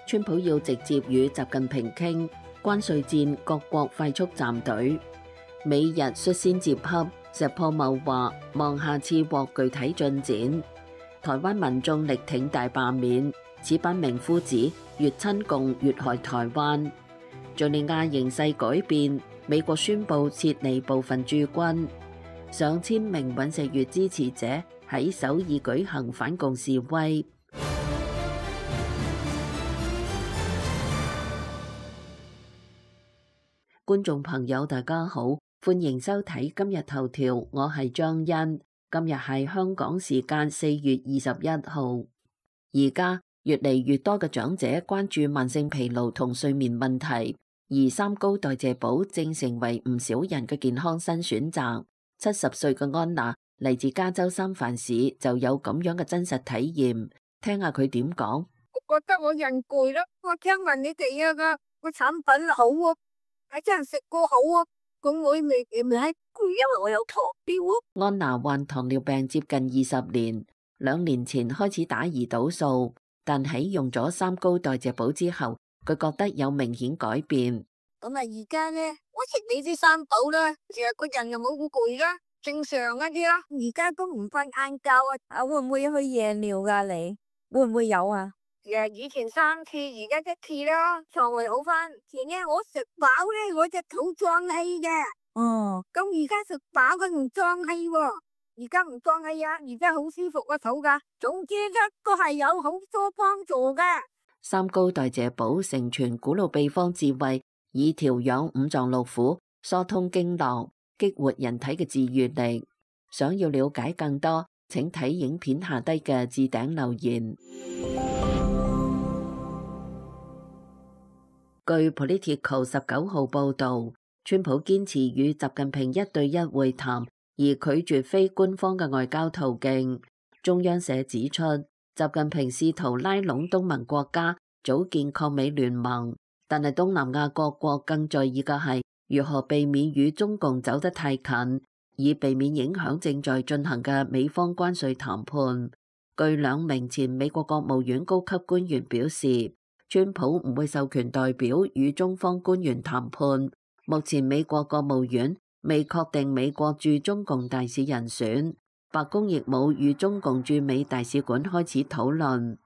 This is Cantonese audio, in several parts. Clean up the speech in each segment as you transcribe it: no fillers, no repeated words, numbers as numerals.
川普要直接與習近平傾關稅戰，各國快速站隊。美日率先接洽，石破茂話望下次獲具體進展。台灣民眾力挺大罷免，此班名夫子越親共越害台灣。敘利亞形勢改變，美國宣布撤離部分駐軍。上千名尹錫悅支持者喺首爾舉行反共示威。觀眾朋友大家好，歡迎收睇今日頭條，我係張欣。今日係香港時間4月21號。而家越嚟越多嘅長者關注慢性疲勞同睡眠問題，而三高代謝寶正成為唔少人嘅健康新選擇。70歲嘅安娜嚟自加州三藩市，就有咁樣嘅真實體驗。聽下佢點講。我覺得我人攰咯，我聽聞你哋個產品好啊，係真係食過好啊，咁我未係攰，因為我有糖尿啊。安娜患糖尿病接近20年，2年前開始打胰島素，但喺用咗三高代謝寶之後，佢覺得有明顯改變。咁啊，而家咧，我食你啲三寶啦，成日個人又冇咁攰啦，正常一啲啦。而家都唔瞓晏覺啊，會唔會去夜尿噶？你會唔會有啊？以前3次，而家1次啦，腸胃好翻。前日我食飽咧，我隻肚脹氣嘅。哦，咁而家食飽佢唔脹氣喎，而家唔脹氣啊，而家好舒服個肚噶。總之咧，都係有好多幫助嘅。三高代謝寶承傳古老秘方智慧，以調養五臟六腑、疏通經絡、激活人體嘅治癒力。想要了解更多，請睇影片下低嘅置頂留言。據 Politico 19號報導，川普堅持與習近平1對1會談，而拒絕非官方嘅外交途徑。中央社指出，習近平試圖拉攏東盟國家組建抗美聯盟，但係東南亞各國更在意嘅係如何避免與中共走得太近，以避免影響正在進行嘅美方關稅談判。據2名前美國國務院高級官員表示，川普唔會授權代表與中方官員談判。目前美國國務院未確定美國駐中共大使人選，白宮亦冇與中共駐美大使館開始討論。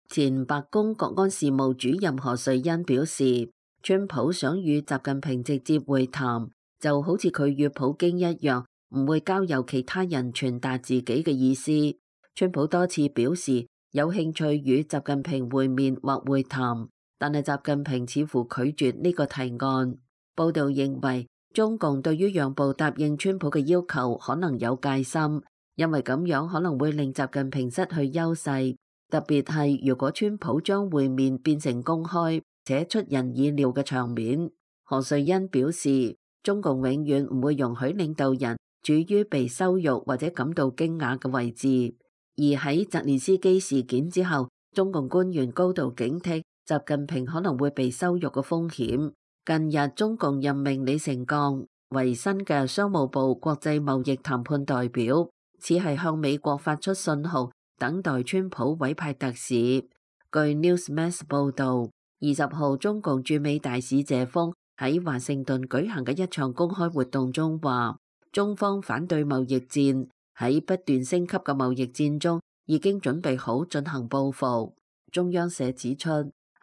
前白宮國安事務主任何瑞恩表示，川普想與習近平直接會談，就好似佢與普京一樣，唔會交由其他人傳達自己嘅意思。川普多次表示有興趣與習近平會面或會談，但係習近平似乎拒絕呢個提案。報道認為，中共對於讓步答應川普嘅要求可能有戒心，因為咁樣可能會令習近平失去優勢，特別係如果川普將會面變成公開且出人意料嘅場面。何瑞恩表示，中共永遠唔會容許領導人處於被羞辱或者感到驚訝嘅位置。而喺澤連斯基事件之後，中共官員高度警惕習近平可能會被羞辱嘅風險。近日，中共任命李成鋼為新嘅商務部國際貿易談判代表，似係向美國發出信號，等待川普委派特使。據 Newsmax 報導，20號中共駐美大使謝鋒喺華盛頓舉行嘅一場公開活動中話，中方反對貿易戰，喺不斷升級嘅貿易戰中已經準備好進行報復。中央社指出，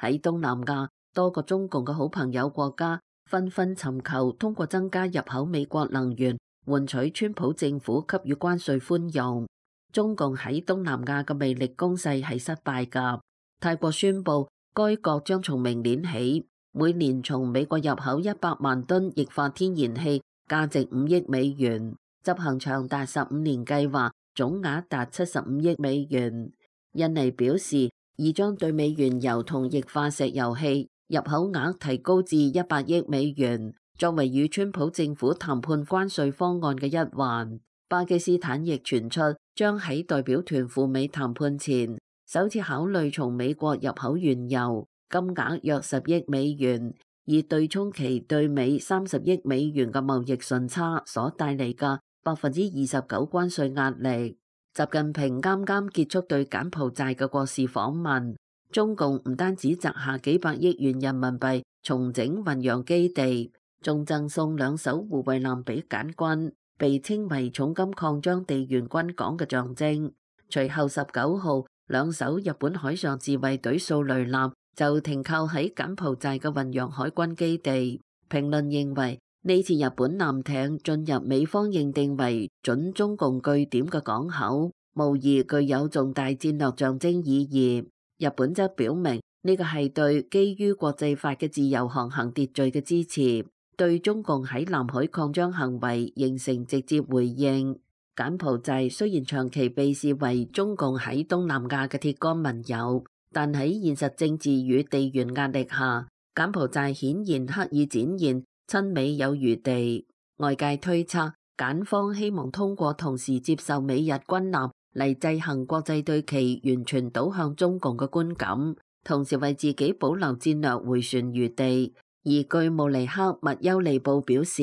喺東南亞多個中共嘅好朋友國家紛紛尋求通過增加入口美國能源，換取川普政府給予關稅寬容。中共喺東南亞嘅魅力攻勢係失敗㗎。泰國宣布，該國將從明年起，每年從美國入口100萬噸液化天然氣，價值5億美元，執行長達15年計劃，總額達75億美元。印尼表示，已將對美原油同液化石油氣入口額提高至100億美元，作為與川普政府談判關稅方案嘅一環。巴基斯坦亦傳出將喺代表團赴美談判前，首次考慮從美國入口原油，金額約10億美元，以對沖其對美30億美元嘅貿易順差所帶嚟嘅29%關稅壓力。習近平啱啱結束對柬埔寨嘅國事訪問，中共唔單止擲下幾百億元人民幣重整運洋基地，仲贈送2艘護衛艦俾柬軍，被稱為重金擴張地緣軍港嘅象徵。隨後19號，2艘日本海上自衛隊掃雷艦就停靠喺柬埔寨嘅運洋海軍基地。評論認為，呢次日本艦艇進入美方認定為準中共據點嘅港口，無疑具有重大戰略象徵意義。日本則表明呢個係對基於國際法嘅自由航行秩序嘅支持，對中共喺南海擴張行為形成直接回應。柬埔寨雖然長期被視為中共喺東南亞嘅鐵桿盟友，但喺現實政治與地緣壓力下，柬埔寨顯然刻意展現親美有餘地。外界推測，柬方希望通過同時接受美日軍艦嚟制衡國際對其完全倒向中共嘅觀感，同時為自己保留戰略迴旋餘地。而據慕尼克密優利報表示，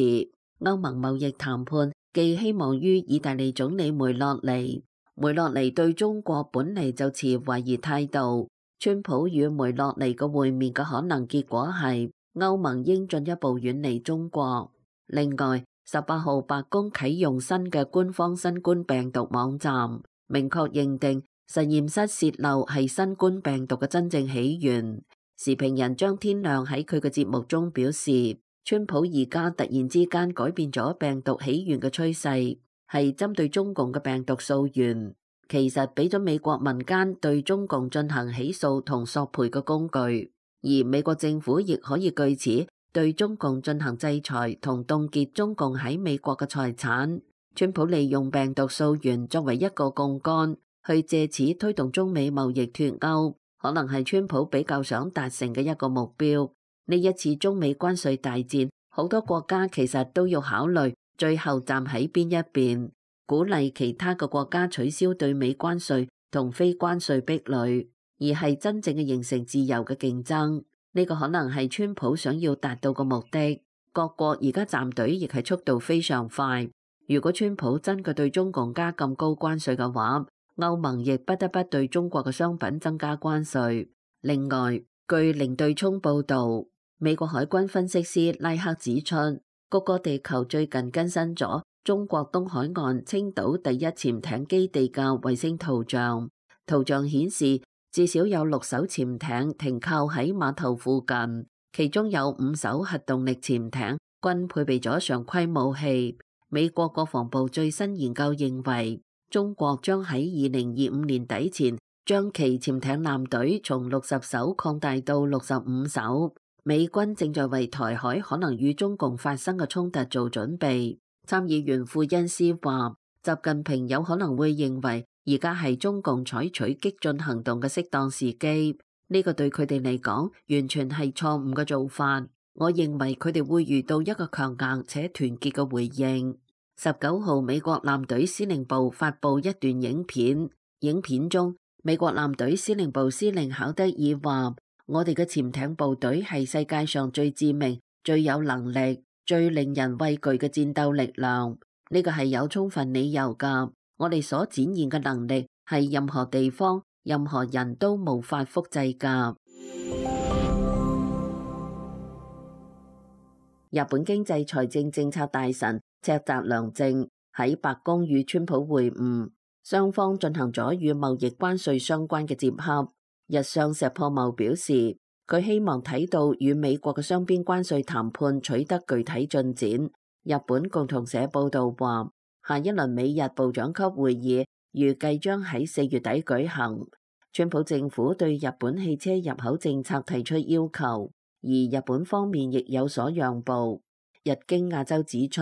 歐盟貿易談判寄希望於意大利總理梅洛尼。梅洛尼對中國本嚟就持懷疑態度。川普與梅洛尼嘅會面嘅可能結果係歐盟應進一步遠離中國。另外，18號白宮啟用新嘅官方新冠病毒網站，明確認定實驗室洩漏係新冠病毒嘅真正起源。時評人張天亮喺佢嘅節目中表示，川普而家突然之間改變咗病毒起源嘅趨勢，係針對中共嘅病毒溯源，其實俾咗美國民間對中共進行起訴同索賠嘅工具，而美國政府亦可以據此對中共進行制裁同凍結中共喺美國嘅財產。川普利用病毒溯源作為一個槓桿，去借此推動中美貿易脫鈎，可能係川普比較想達成嘅一個目標。呢一次中美關稅大戰，好多國家其實都要考慮最後站喺邊一邊，鼓勵其他嘅國家取消對美關稅同非關稅壁壘，而係真正嘅形成自由嘅競爭。呢個可能係川普想要達到嘅目的。各國而家站隊亦係速度非常快。如果川普真嘅對中共加咁高關稅嘅話，歐盟亦不得不對中國嘅商品增加關稅。另外，據零對沖報導，美國海軍分析師拉克指出，谷歌地球最近更新咗中國東海岸青島第一潛艇基地嘅衛星圖像。圖像顯示，至少有6艘潛艇停靠喺碼頭附近，其中有5艘核動力潛艇，均配備咗常規武器。美國國防部最新研究認為，中國將喺2025年底前將其潛艇艦隊從60艘擴大到65艘。美軍正在為台海可能與中共發生嘅衝突做準備。參議員庫恩斯話，習近平有可能會認為而家係中共採取激進行動嘅適當時機，呢個對佢哋嚟講完全係錯誤嘅做法。我認為佢哋會遇到一個強硬且團結嘅回應。19號，美國艦隊司令部發布一段影片，影片中美國艦隊司令部司令考德爾話，我哋嘅潛艇部隊係世界上最致命、最有能力、最令人畏懼嘅戰鬥力量。呢個係有充分理由㗎。我哋所展現嘅能力係任何地方、任何人都無法複製㗎。日本經濟財政政策大臣赤澤良政喺白宮與川普會晤，雙方進行咗與貿易關稅相關嘅接洽。日商石破茂表示，佢希望睇到與美國嘅雙邊關稅談判取得具體進展。日本共同社報道話，下一輪美日部長級會議預計將喺4月底舉行。川普政府對日本汽車入口政策提出要求，而日本方面亦有所讓步。日經亞洲指出，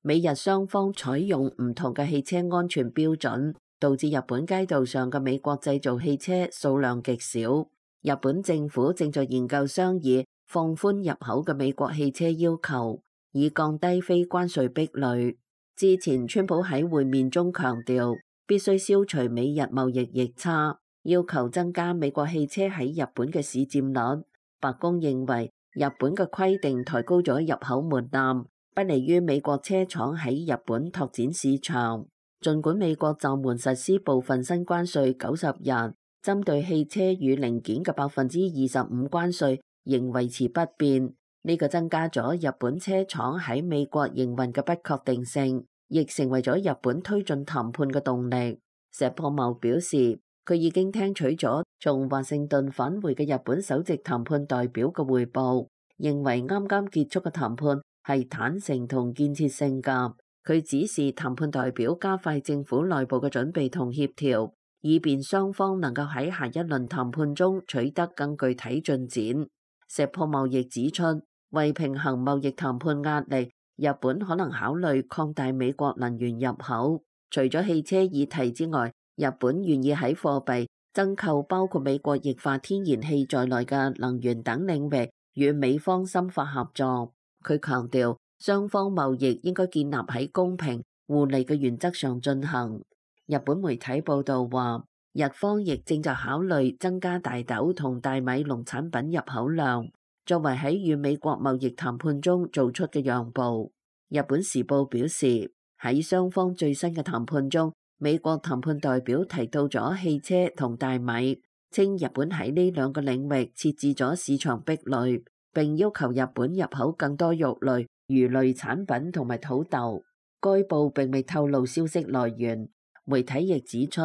美日雙方採用唔同嘅汽車安全標準，導致日本街道上嘅美國製造汽車數量極少。日本政府正在研究商議放寬入口嘅美國汽車要求，以降低非關稅壁壘。之前川普喺會面中強調，必須消除美日貿易逆差，要求增加美國汽車喺日本嘅市佔率。白宮認為日本嘅規定抬高咗入口門檻，不利於美國車廠喺日本拓展市場。儘管美國暫緩實施部分新關稅90日，針對汽車與零件嘅25%關稅仍維持不變，呢個增加咗日本車廠喺美國營運嘅不確定性，亦成為咗日本推進談判嘅動力。石破茂表示，佢已經聽取咗從華盛頓返回嘅日本首席談判代表嘅彙報，認為啱啱結束嘅談判係坦誠同建設性㗎。佢指示談判代表加快政府內部嘅準備同協調，以便雙方能夠喺下一輪談判中取得更具體進展。石破茂亦指出，為平衡貿易談判壓力，日本可能考慮擴大美國能源入口。除咗汽車議題之外，日本願意喺貨幣、增購包括美國液化天然氣在內嘅能源等領域與美方深化合作。佢強調，雙方貿易應該建立喺公平互利嘅原則上進行。日本媒體報道話，日方亦正在考慮增加大豆同大米農產品入口量，作為喺與美國貿易談判中做出嘅讓步。日本時報表示，喺雙方最新嘅談判中，美國談判代表提到咗汽車同大米，稱日本喺呢兩個領域設置咗市場壁壘，並要求日本入口更多肉類、魚類產品同埋土豆。該報並未透露消息來源。媒體亦指出，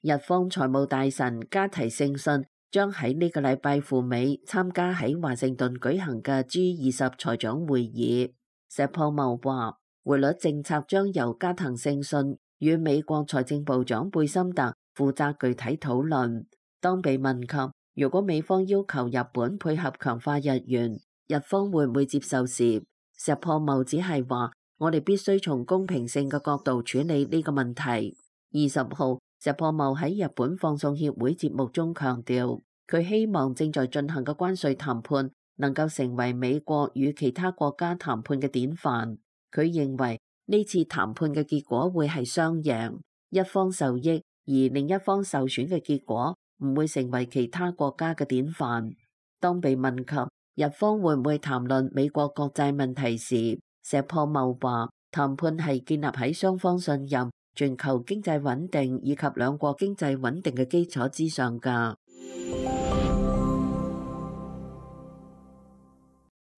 日方財務大臣加提勝信將喺呢個禮拜赴美參加喺華盛頓舉行嘅 G20 財長會議。石破茂話，匯率政策將由加藤勝信與美國財政部長貝森特負責具體討論。當被問及如果美方要求日本配合強化日元，日方會唔會接受時，石破茂只係話，我哋必須從公平性嘅角度處理呢個問題。20號，石破茂喺日本放送協會節目中強調，佢希望正在進行嘅關稅談判能夠成為美國與其他國家談判嘅典範。佢認為呢次談判嘅結果會係雙贏，一方受益而另一方受損嘅結果唔會成為其他國家嘅典範。當被問及日方會唔會談論美國國債問題時，石破茂話，談判係建立喺雙方信任、全球經濟穩定以及兩國經濟穩定嘅基礎之上㗎。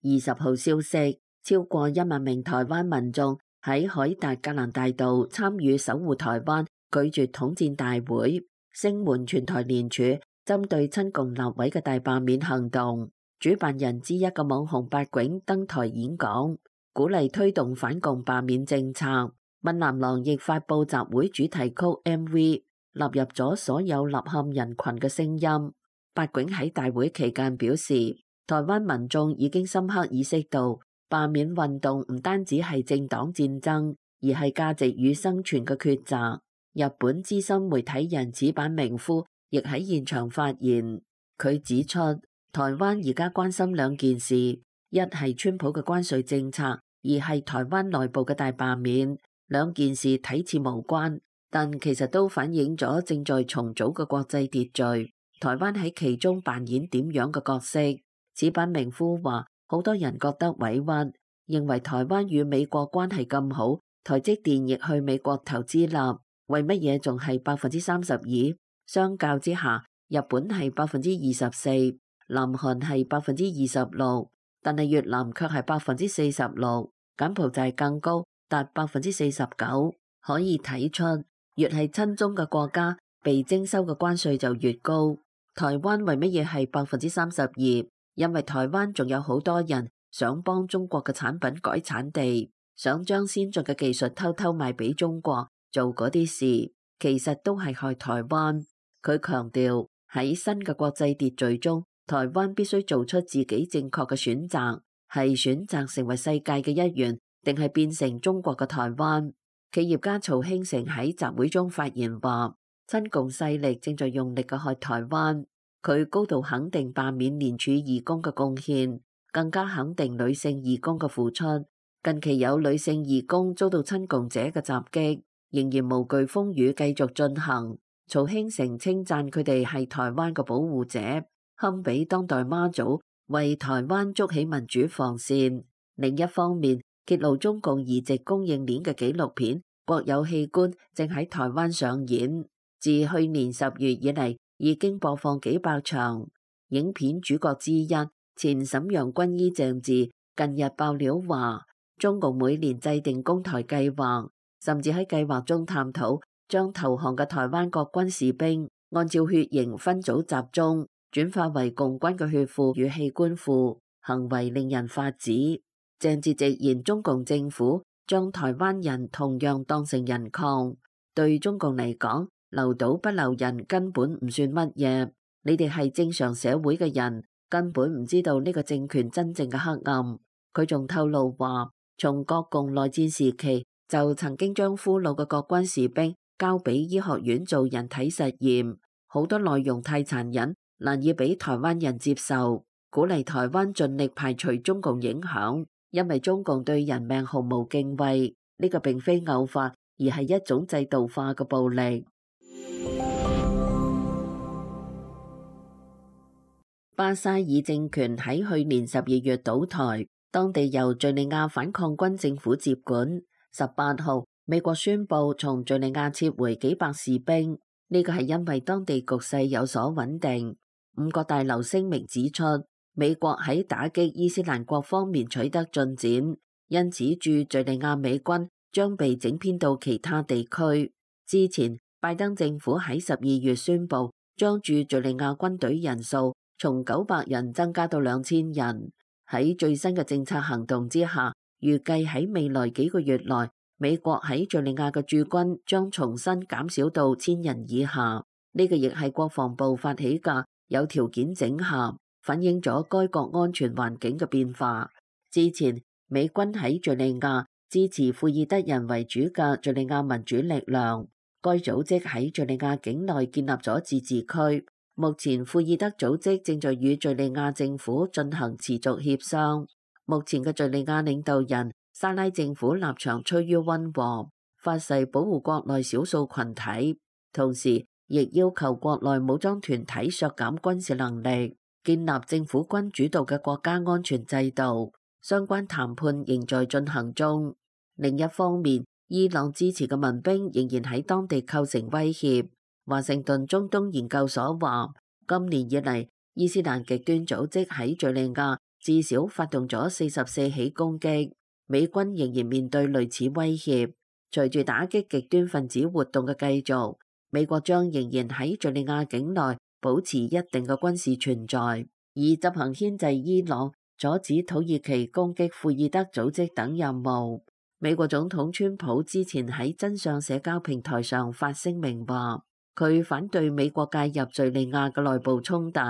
20號消息，超過1萬名台灣民眾喺凱達格蘭大道參與守護台灣拒絕統戰大會，聲援全台聯署針對親共立委嘅大罷免行動。主辦人之一嘅網紅八囧登台演講，鼓勵推動反共罷免政策。閩南郎亦發佈集會主題曲 MV， 納入咗所有吶喊人群嘅聲音。八囧喺大會期間表示，台灣民眾已經深刻意識到，罷免運動唔單止係政黨戰爭，而係價值與生存嘅抉擇。日本資深媒體人矢板明夫亦喺現場發言，佢指出，台灣而家關心兩件事，一係川普嘅關稅政策，二係台灣內部嘅大罷免。兩件事睇似無關，但其實都反映咗正在重組嘅國際秩序，台灣喺其中扮演點樣嘅角色。矢板明夫話，好多人覺得委屈，認為台灣與美國關係咁好，台積電亦去美國投資啦，為乜嘢仲係32%？相較之下，日本係24%，南韓係26%，但係越南卻係46%，柬埔寨更高，達49%。可以睇出，越係親中嘅國家，被徵收嘅關稅就越高。台灣為乜嘢係32%？因為台灣仲有好多人想幫中國嘅產品改產地，想將先進嘅技術偷偷賣俾中國，做嗰啲事，其實都係害台灣。佢強調，喺新嘅國際秩序中，台灣必須做出自己正確嘅選擇，係選擇成為世界嘅一員，定係變成中國嘅台灣。企業家曹興誠喺集會中發言話，親共勢力正在用力嘅害台灣。佢高度肯定罷免聯署義工嘅貢獻，更加肯定女性義工嘅付出。近期有女性義工遭到親共者嘅襲擊，仍然無懼風雨繼續進行。曹興誠稱讚佢哋係台灣嘅保護者，堪比當代媽祖，為台灣築起民主防線。另一方面，揭露中共移植供應鏈嘅紀錄片《國有器官》正喺台灣上演。自去年10月以嚟，已經播放幾百場。影片主角之一前瀋陽軍醫鄭智近日爆料話，中共每年制定攻台計劃，甚至喺計劃中探討將投降嘅台灣國軍士兵按照血型分組集中，轉化為共軍嘅血庫與器官庫，行為令人髮指。鄭智直言，中共政府將台灣人同樣當成人礦，對中共嚟講，留島不留人根本唔算乜嘢。你哋係正常社會嘅人，根本唔知道呢個政權真正嘅黑暗。佢仲透露話，從國共內戰時期就曾經將俘虜嘅國軍士兵交俾醫學院做人體實驗，好多內容太殘忍，難以俾台灣人接受。鼓勵台灣盡力排除中共影響，因為中共對人命毫無敬畏。呢個並非偶發，而係一種制度化嘅暴力。巴沙爾政權喺去年12月倒台，當地由敘利亞反抗軍政府接管。18號，美國宣布從敘利亞撤回幾百士兵，呢個係因為當地局勢有所穩定。五角大樓聲明指出，美國喺打擊伊斯蘭國方面取得進展，因此駐敘利亞美軍將被整編到其他地區。之前，拜登政府喺12月宣布將駐敘利亞軍隊人數從900人增加到2000人。喺最新嘅政策行動之下，預計喺未來幾個月內，美國喺敘利亞嘅駐軍將重新減少到1000人以下。呢個亦係國防部發起嘅有條件整合，反映咗該國安全環境嘅變化。之前，美軍喺敘利亞支持庫爾德人為主嘅敘利亞民主力量，該組織喺敘利亞境內建立咗自治區。目前庫爾德組織正在與敘利亞政府進行持續協商。目前嘅敘利亞領導人沙拉政府立場趨於溫和，發誓保護國內少數群體，同時亦要求國內武裝團體削減軍事能力，建立政府軍主導嘅國家安全制度。相關談判仍在進行中。另一方面，伊朗支持嘅民兵仍然喺當地構成威脅。華盛頓中東研究所話，今年以嚟，伊斯蘭極端組織喺敘利亞至少發動咗44起攻擊，美軍仍然面對類似威脅。隨住打擊極端分子活動嘅繼續，美國將仍然喺敘利亞境內保持一定嘅軍事存在，以執行牽制伊朗、阻止土耳其攻擊庫爾德組織等任務。美國總統川普之前喺真相社交平台上發聲明話，佢反對美國介入敘利亞嘅內部衝突。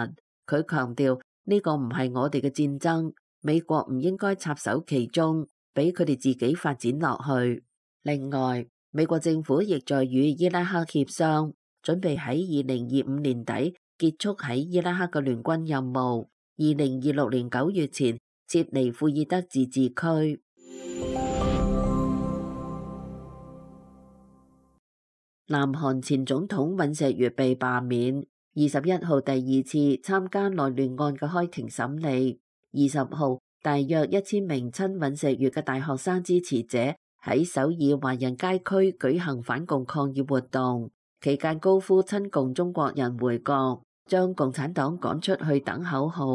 佢強調呢個唔係我哋嘅戰爭，美國唔應該插手其中，俾佢哋自己發展落去。另外，美國政府亦在與伊拉克協商，準備喺2025年底結束喺伊拉克嘅聯軍任務，2026年9月前撤離庫爾德自治區。南韓前總統尹錫悅被罷免，21號第二次參加內亂案嘅開庭審理。20號，大約1000名親尹錫悅嘅大學生支持者喺首爾華人街區舉行反共抗議活動，期間高呼親共中國人回國，將共產黨趕出去等口號。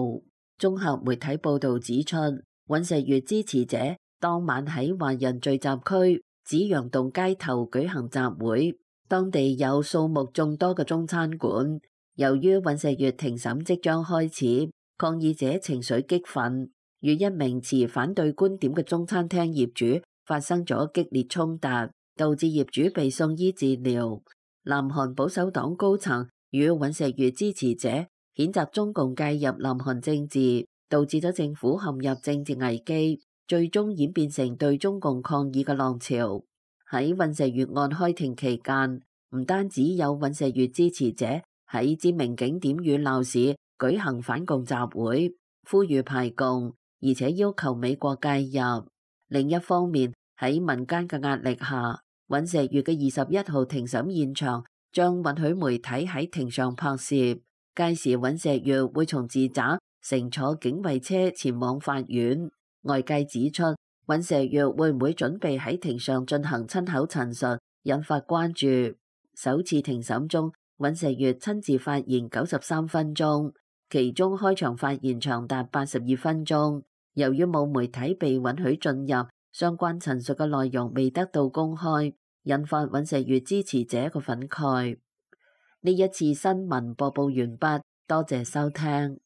綜合媒體報導指出，尹錫悅支持者當晚喺華人聚集區紫陽洞街頭舉行集會。當地有數目眾多嘅中餐館。由於尹錫悅庭審即將開始，抗議者情緒激憤，與一名持反對觀點嘅中餐廳業主發生咗激烈衝突，導致業主被送醫治療。南韓保守黨高層與尹錫悅支持者譴責中共介入南韓政治，導致咗政府陷入政治危機，最終演變成對中共抗議嘅浪潮。喺尹錫悅案開庭期間，唔單止有尹錫悅支持者喺知名景點與鬧市舉行反共集會，呼籲排共，而且要求美國介入。另一方面，喺民間嘅壓力下，尹錫悅嘅21號庭審現場將允許媒體喺庭上拍攝。屆時尹錫悅會從住宅乘坐警衛車前往法院。外界指出，尹錫悅會唔會準備喺庭上進行親口陳述，引發關注。首次庭審中，尹錫悅親自發言93分鐘，其中開場發言長達82分鐘。由於冇媒體被允許進入，相關陳述嘅內容未得到公開，引發尹錫悅支持者嘅憤慨。呢一次新聞播報完畢，多謝收聽。